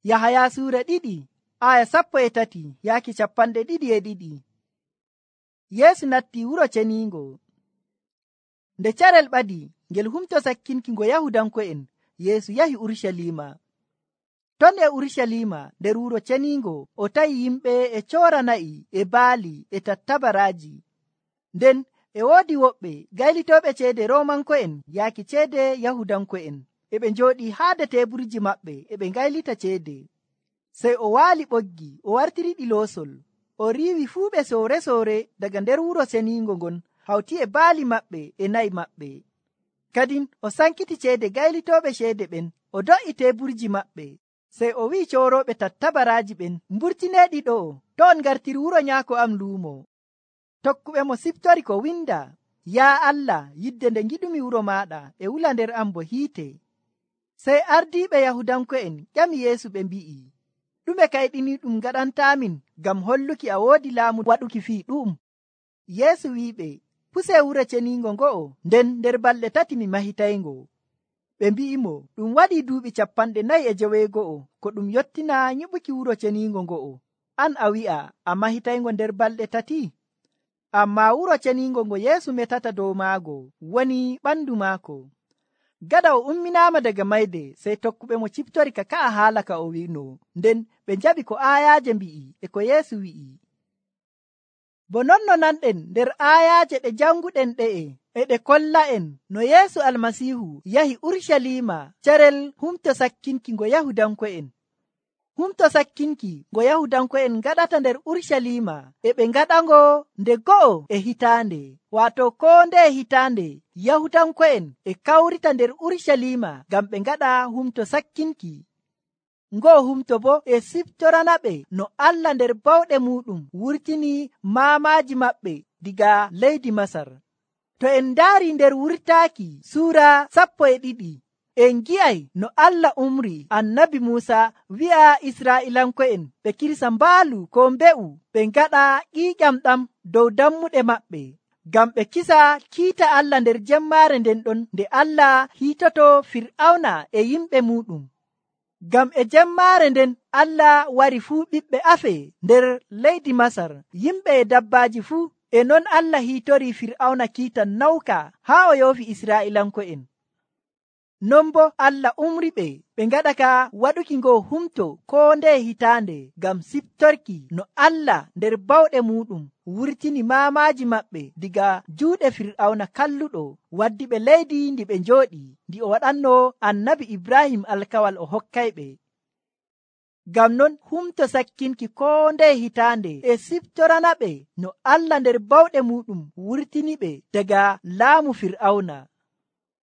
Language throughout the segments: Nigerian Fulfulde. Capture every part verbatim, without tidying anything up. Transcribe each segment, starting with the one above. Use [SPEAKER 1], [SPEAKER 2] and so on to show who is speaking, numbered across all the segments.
[SPEAKER 1] Yahaya suura ɗiɗi aya sappo e tati yaaki capanɗe ɗiɗi e ɗiɗi. Yeesu natti wuro ceniingo. Nde carel ɓadi ngel humto sakkinki ngo Yahudanko'en, Yeesu yahi Urucaliima. Ton e Urucaliima nder wuro ceniingo o tawi yimɓe e coora na'i e baali e tattabaraaji. Nden e woodi woɓɓe gaylitooɓe ceede Roomanko'en yaaki ceede Yahudanko'en. E ɓe njooɗii haade teeburji maɓɓe e ɓe ngaylita ceede. Sey o waali ɓoggi, o wartiriɗi loosol, o riiwi fuu ɓe soore-soore daga nder wuro ceniingo ngon hawti e baali maɓɓe e na'i maɓɓe. Kadin o sankiti ceede gaylitooɓe ceede ɓen, o do'i teeburji maɓɓe. Sey o wi'i coorooɓe tattabaraaji ɓen, mburtineeɗi ɗo'o, to on ngartiri wuro nyaako am luumo. Tokkuɓe mo siftori ko winda, yaa Allah, yidde nde ngiɗumi wuro maaɗa e wula nder am bo hiite. Sey ardiiɓe Yahudanko'en ƴami Yeesu ɓe mbi'i, ɗume kayɗini ɗum gaɗantaamin ngam holluki a woodi laamu waɗuki fii ɗu'um? Yeesu wi'iɓe, pusee wuro ceniingo ngo'o, nden nder balɗe tati mi mahitayngo. Ɓe mbi'imo, ɗum waɗii duuɓi capanɗe nayi e joweego'o ko ɗum yottina nyiɓuki wuro ceniingo ngo'o. An a wi'a a mahitayngo nder balɗe tati? Ammaa wuro ceniingo ngo Yeesu metata dow maago woni ɓandu maako. Gaɗa o umminaama daga mayde, sey tokkuɓe mo ciftori ka ka'a haala ka o wi'no. Nden ɓe njaɓi ko aayaaje mbi'i e ko Yeesu wi'i. Bo non no nanɗen nder aayaaje ɗe janguɗen ɗe'e e ɗe kolla'en no Yeesu Almasiihu yahi Urucaliima carel humto sakkinki ngo Yahudanko'en. Humto sakkinki ngo Yahudanko'en ngaɗata nder Urucaliima e ɓe ngaɗango nde go'o e hitaande, waato koo nde hitaande Yahudanko'en e kawrita nder Urucaliima ngam ɓe ngaɗa humto sakkinki. Ngoo humto bo e siftorana ɓe no Allah nder bawɗe muɗum wurtini maamaaji maɓɓe diga leydi Masar. To en ndaari nder wurtaaki suura sappo e ɗiɗi, en ngi'ay no Allah umri annabi Muusa wi'a Israa'iilanko'en ɓe kirsa mbaalu ko mbe'u ɓe ngaɗa ƴiiƴam ɗam dow dammuɗe maɓɓe, ngam ɓe kisa kiita Allah nder jemmaare nden ɗon nde Allah hiitoto Fir'awna e yimɓe muɗum. Ngam e jemmaare nden Allah wari fuu ɓiɓɓe afe nder leydi Masar, yimɓe e dabbaaji fuu. E non Allah hiitori Fir'awna kiita nawka haa o yoofi Israa'iilanko'en. Non bo Allah umri ɓe ɓe ngaɗa ka waɗuki ngoo humto koo nde hitaande ngam siftorki no Allah nder bawɗe muɗum wurtini maamaaji maɓɓe diga juuɗe Fir'awna kalluɗo waddiɓe leydi ndi ɓe njooɗi, ndi o waɗanno annabi Ibrahim alkawal o hokkayɓe. Ngam non humto sakkinki koo nde hitaande e siftorana ɓe no Allah nder bawɗe muɗum wurtini ɓe daga laamu Fir'awna.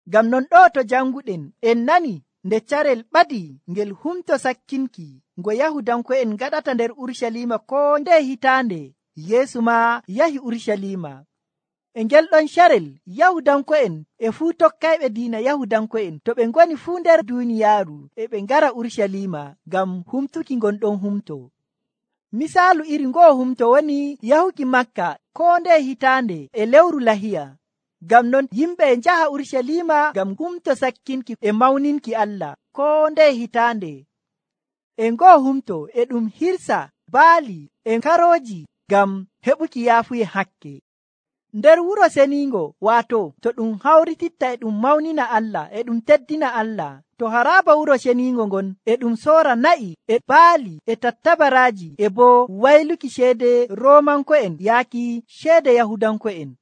[SPEAKER 1] Ngam non ɗo to janguɗen en nani nde carel ɓadi ngel humto sakkinki ngo Yahudanko'en ngaɗata nder Urucaliima koo nde hitaande, Yeesu maa yahi Urucaliima. E ngel ɗon carel Yahudanko'en e fuu tokkayɓe diina Yahudanko'en to ɓe ngoni fuu nder duuniyaaru e ɓe ngara Urucaliima ngam humtuki ngon ɗon humto. Misaalu iri ngoo humto woni yahuki Makka koo nde hitaande e lewru lahiya. Ngam non yimɓe e njaha Urucaliima ngam humto sakkinki e mawninki Allah koo nde hitaande. E ngoo humto e ɗum hirsa baali e karooji ngam heɓuki yaafuye hakke. Nder wuro seniingo, waato to ɗum hawrititta e ɗum mawnina Allah e ɗum teddina Allah, to haraaba wuro ceniingo ngon e ɗum soora na'i e baali e tattabaraaji e bo wayluki ceede Roomanko'en yaaki ceede Yahudanko'en.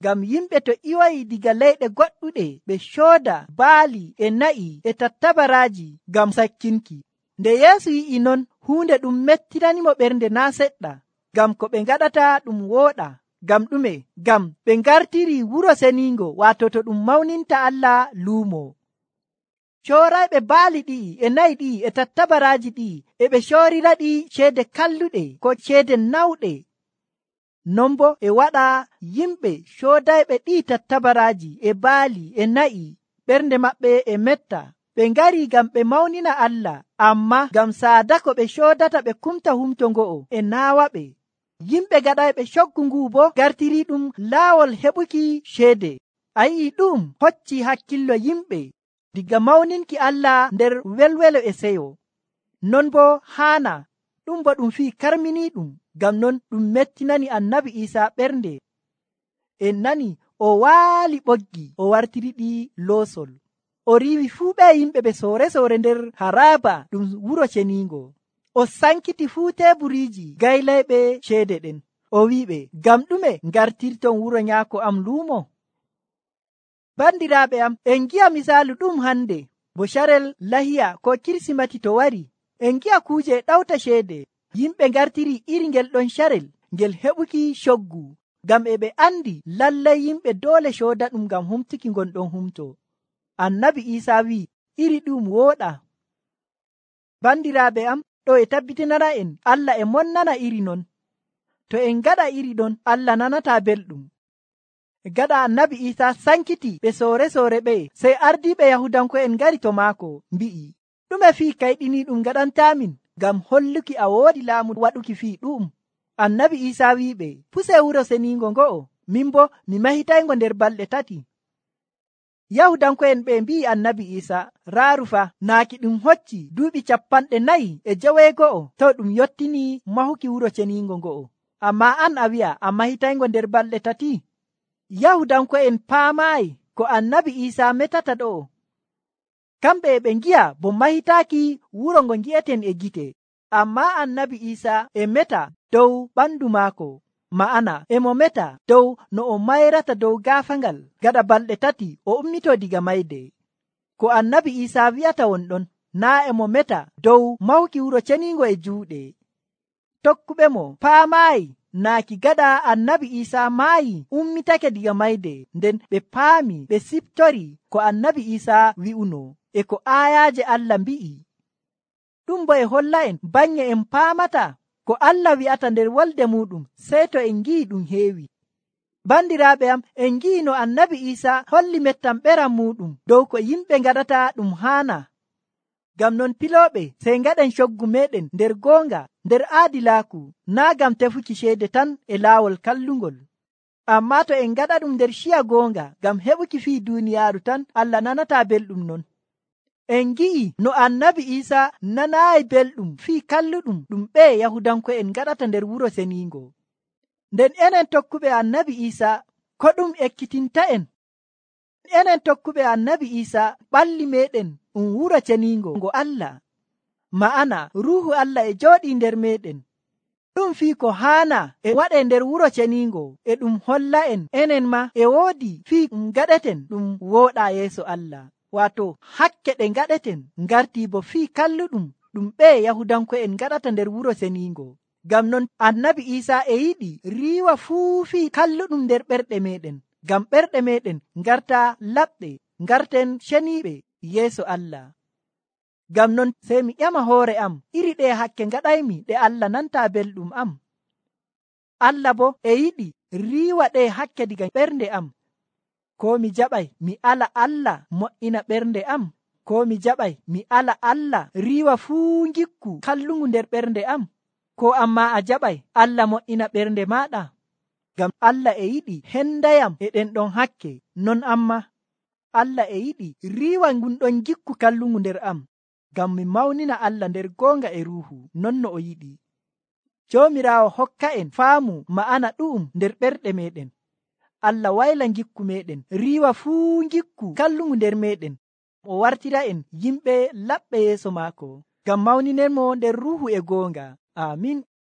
[SPEAKER 1] Ngam yimɓe to iwayi diga leyɗe goɗɗuɗe ɓe cooda baali e na'i e tattabaraaji ngam sakkinki. Nde Yeesu yi'i non, huunde ɗum mettinanimo ɓernde naa seɗɗa, ngam ko ɓe ngaɗata ɗum wooɗa. Ngam ɗume? Ngam ɓe ngartiri wuro seniingo, waato to ɗum mawninta Allah luumo. Coorayɓe baali ɗi'i e nayi ɗi'i e tattabaraaji ɗi'i e ɓe cooriraɗi ceede kalluɗe ko ceede nawɗe. Non bo e waɗa yimɓe coodayɓe ɗi tattabaraaji e baali e na'i ɓernde maɓɓe e metta. Ɓe ngari ngam ɓe mawnina Allah, amma ngam saada ko ɓe coodata ɓe kumta humto ngo'o e naawaɓe. Yimɓe gaɗayɓe coggu nguu bo gartiri ɗum laawol heɓuki ceede. A yi'i ɗum hocci hakkillo yimɓe diga mawninki Allah nder welwelo e seyo. non bo haana ɗum bo ɗum fii karminiiɗum. Ngam non ɗum mettinani annabi Iisaa ɓernde. En nani o waali ɓoggi o wartiriɗi loosol. O riiwi fuu ɓe yimɓe ɓe soore-soore nder haraaba ɗum wuro ceniingo. O sankiti fuu teeburiiji gaylayɓe ceede ɗen. O wi'iɓe, ngam ɗume ngartirton wuro nyaako am luumo? Bandiraaɓe am, en gi'a misaalu ɗum hande. Bo carel lahiya ko kirsimati to wari, en gi'a kuuje ɗawta ceede. Yimɓe ngartiri iri ngel ɗon carel ngel heɓuki coggu, ngam e ɓe andi lallay yimɓe doole cooda ɗum ngam humtuki gonɗon humto. Annabi Iisaa wi'i iri ɗum wooɗa. Bandiraaɓe am, ɗo e tabbitinana en Allah e monnana iri non. To en gaɗa iri ɗon, Allah nanata belɗum. Gaɗa annabi Iisaa sankiti ɓe soore-soore ɓe, sey ardiiɓe Yahudanko'en ngari to maako mbi'i, ɗume fii kayɗini ɗum gaɗantamin ngam holluki a woodi laamu waɗuki fii ɗu'um? Annabi Iisaa wi'iɓe, pusee wuro seniingo ngo'o, min bo mi mahitaygo nder balɗe tati. Yahudanko'en ɓe mbi'i annabi Iisaa, raaru fa, naaki ɗum hocci duuɓi capanɗe nayi e joweego'o to ɗum yottini mahuki wuro ceniingo ngo'o. Amma an a wi'a a mahitaygo nder balɗe tati? Yahudanko'en paamaayi ko annabi Iisaa metata ɗo. Kamɓe e ɓe ngi'a bo mahitaaki wuro ngo ngi'eten e gite. Amma annabi Iisaa e meta dow ɓandu maako, ma'ana emo meta dow no o mayrata dow gaafangal gaɗa balɗe tati o ummito diga mayde. Ko annabi Iisaa wi'ata wonɗon, naa emo meta dow mahuki wuro ceniingo e juuɗe. Tokkuɓe mo paamaayi naaki gaɗa annabi Iisaa maayi ummitake diga mayde, nden ɓe paami ɓe siptori ko annabi Iisaa wi'uno e ko aayaaje Allah mbi'i. Ɗum bo e holla en banye en paamata ko Allah wi'ata nder wolde muɗum sey to en ngi'i ɗum heewi. Bandiraaɓe am, en ngi'i no annabi Iisaa holli mettam ɓeram muɗum dow ko yimɓe ngaɗata ɗum haana. Ngam non pilooɓe sey ngaɗen coggu meɗen nder goonga, nder aadilaaku, naa ngam tefuki ceede tan e laawol kallungol. Amma to en ngaɗa ɗum nder ciya goonga ngam heɓuki fii duuniyaaru tan, Allah nanata belɗum non. En ngi'i no annabi Iisaa nanaayi belɗum fii kalluɗum ɗum ɓe Yahudanko'en ngaɗata nder wuro seniingo. Nden enen tokkuɓe annabi Iisaa, ko ɗum ekkitinta en? Enen tokkuɓe annabi Iisaa ɓalli meɗen um wuro ceniingo ngo Allah, ma'ana ruuhu Allah e jooɗii nder meɗen. Ɗum fii ko haana e waɗe nder wuro ceniingo e ɗum holla en enen ma e woodi fii ɗum gaɗeten ɗum wooɗa yeeso Allah. Waato hakke ɗe ngaɗeten ngartii bo fii kalluɗum ɗum ɓe Yahudanko'en ngaɗata nder wuro seniingo. Ngam non annabi Iisaa e yiɗi riiwa fuu fii kalluɗum nder ɓerɗe meɗen, ngam ɓerɗe meɗen ngarta laɓɗe, ngarten ceniiɓe yeeso Allah. Ngam non sey mi ƴama hoore am, iri ɗe hakke ngaɗaymi ɗe Allah nanta belɗum am? Allah bo e yiɗi riiwa ɗe hakke diga ɓernde am. Ko mi jaɓay mi ala Allah mo'ina ɓernde am? Ko mi jaɓay mi ala Allah riiwa fuu ngikku kallungu nder ɓernde am? Ko amma a jaɓay Allah mo'ina ɓernde maɗa? Ngam Allah e yiɗi hendayam e ɗen ɗon hakke, non amma Allah e yiɗi riiwa ngunɗon ngikku kallungu nder am, ngam mi mawnina Allah nder goonga e ruuhu, non no o yiɗi. Joomiraawo hokka en faamu ma'ana ɗu'um nder ɓerɗe meɗen. Allah wayla ngikku meɗen, riiwa fuu ngikku kallungu nder meɗen, o wartira en yimɓe laɓɓe yeeso maako, ngam mawninen mo nder ruuhu e goonga. Amin.